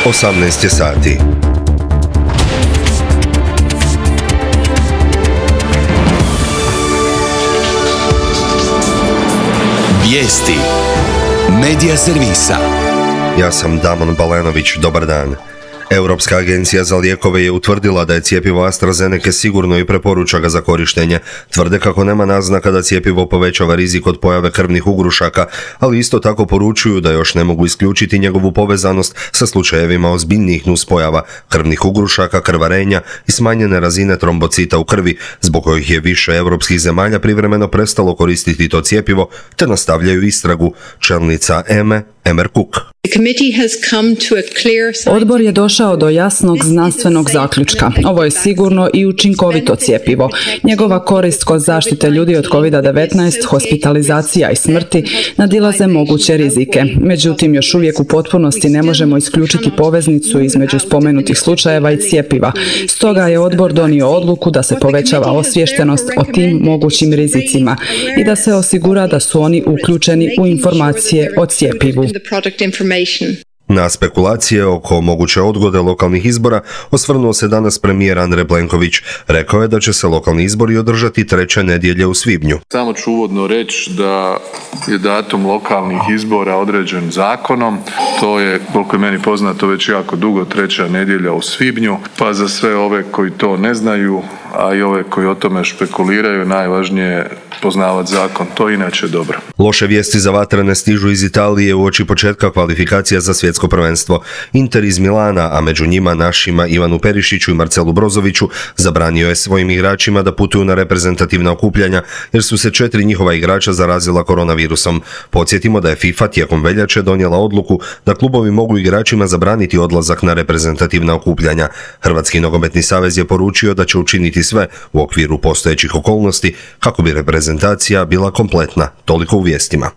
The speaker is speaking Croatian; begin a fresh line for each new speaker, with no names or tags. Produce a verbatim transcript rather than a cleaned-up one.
osamnaest je sati.
Vijesti Medija servisa.
Ja sam Damon Balenović, dobar dan. Europska agencija za lijekove je utvrdila da je cjepivo AstraZeneca sigurno i preporuča ga za korištenje. Tvrde kako nema naznaka da cjepivo povećava rizik od pojave krvnih ugrušaka, ali isto tako poručuju da još ne mogu isključiti njegovu povezanost sa slučajevima ozbiljnijih nuspojava, krvnih ugrušaka, krvarenja i smanjene razine trombocita u krvi, zbog kojih je više europskih zemalja privremeno prestalo koristiti to cjepivo, te nastavljaju istragu. Čelnica E M E, Emer Cook.
Odbor je došao do jasnog znanstvenog zaključka. Ovo je sigurno i učinkovito cjepivo. Njegova korist kod zaštite ljudi od kovid devetnaest, hospitalizacija i smrti nadilaze moguće rizike. Međutim, još uvijek u potpunosti ne možemo isključiti poveznicu između spomenutih slučajeva i cjepiva. Stoga je odbor donio odluku da se povećava osviještenost o tim mogućim rizicima i da se osigura da su oni uključeni u informacije o cjepivu.
Na spekulacije oko moguće odgode lokalnih izbora osvrnuo se danas premijer Andrej Plenković. Rekao je da će se lokalni izbori održati treće nedjelje u svibnju.
Samo ću uvodno reći da je datum lokalnih izbora određen zakonom. To je, koliko je meni poznato, već jako dugo treća nedjelja u svibnju. Pa za sve ove koji to ne znaju, a i ove koji o tome špekuliraju, najvažnije je poznavati zakon. To je inače dobro.
Loše vijesti za vatrene stižu iz Italije uoči početka kvalifikacija za svjetsko prvenstvo. Inter iz Milana, a među njima našima Ivanu Perišiću i Marcelu Brozoviću, zabranio je svojim igračima da putuju na reprezentativna okupljanja jer su se četiri njihova igrača zarazila koronavirusom. Podsjetimo da je FIFA tijekom veljače donijela odluku da klubovi mogu igračima zabraniti odlazak na reprezentativna okupljanja. Hrvatski nogometni savez je poručio da će učiniti sve u okviru postojećih okolnosti kako bi reprezentacija bila kompletna. Toliko u vijestima.